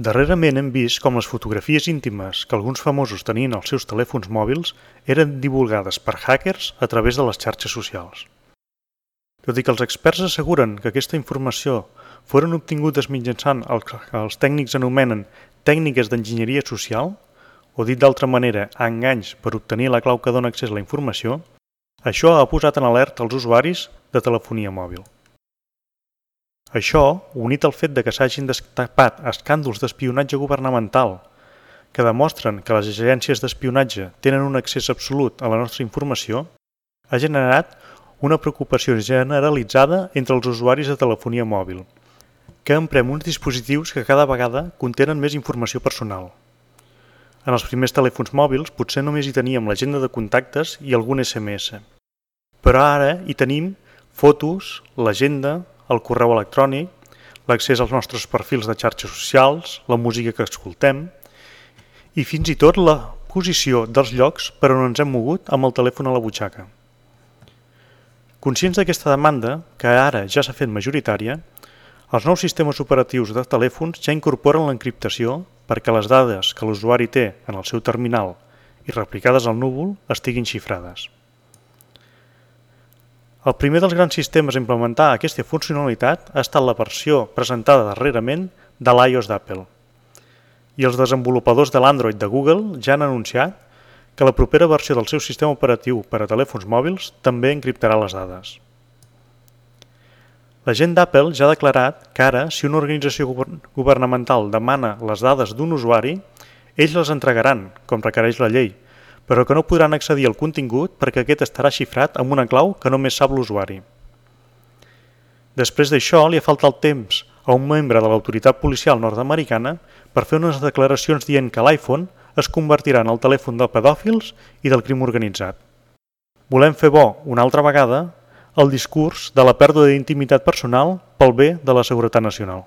Darrerament hem vist com les fotografies íntimes que alguns famosos tenien als seus telèfons mòbils eren divulgades per hackers a través de les xarxes socials. Tot i que els experts asseguren que aquesta informació foren obtingudes mitjançant el que els tècnics anomenen tècniques d'enginyeria social, o dit d'altra manera, enganys per obtenir la clau que dona accés a la informació, això ha posat en alerta els usuaris de telefonia mòbil. Això, unit al fet de que s'hagin destapat escàndols d'espionatge governamental que demostren que les agències d'espionatge tenen un accés absolut a la nostra informació, ha generat una preocupació generalitzada entre els usuaris de telefonia mòbil, que emprem uns dispositius que cada vegada contenen més informació personal. En els primers telèfons mòbils potser només hi teníem l'agenda de contactes i algun SMS, però ara hi tenim fotos, l'agenda, el correu electrònic, l'accés als nostres perfils de xarxes socials, la música que escoltem i fins i tot la posició dels llocs per on ens hem mogut amb el telèfon a la butxaca. Conscients d'aquesta demanda, que ara ja s'ha fet majoritària, els nous sistemes operatius de telèfons ja incorporen l'encriptació perquè les dades que l'usuari té en el seu terminal i replicades al núvol estiguin xifrades. El primer dels grans sistemes a implementar aquesta funcionalitat ha estat la versió presentada darrerament de l'iOS d'Apple. I els desenvolupadors de l'Android de Google ja han anunciat que la propera versió del seu sistema operatiu per a telèfons mòbils també encriptarà les dades. La gent d'Apple ja ha declarat que ara, si una organització governamental demana les dades d'un usuari, ells les entregaran, com requereix la llei, però que no podran accedir al contingut perquè aquest estarà xifrat amb una clau que només sap l'usuari. Després d'això, li ha faltat temps a un membre de l'autoritat policial nord-americana per fer unes declaracions dient que l'iPhone es convertirà en el telèfon de pedòfils i del crim organitzat. Volem fer bo, una altra vegada, el discurs de la pèrdua d'intimitat personal pel bé de la seguretat nacional.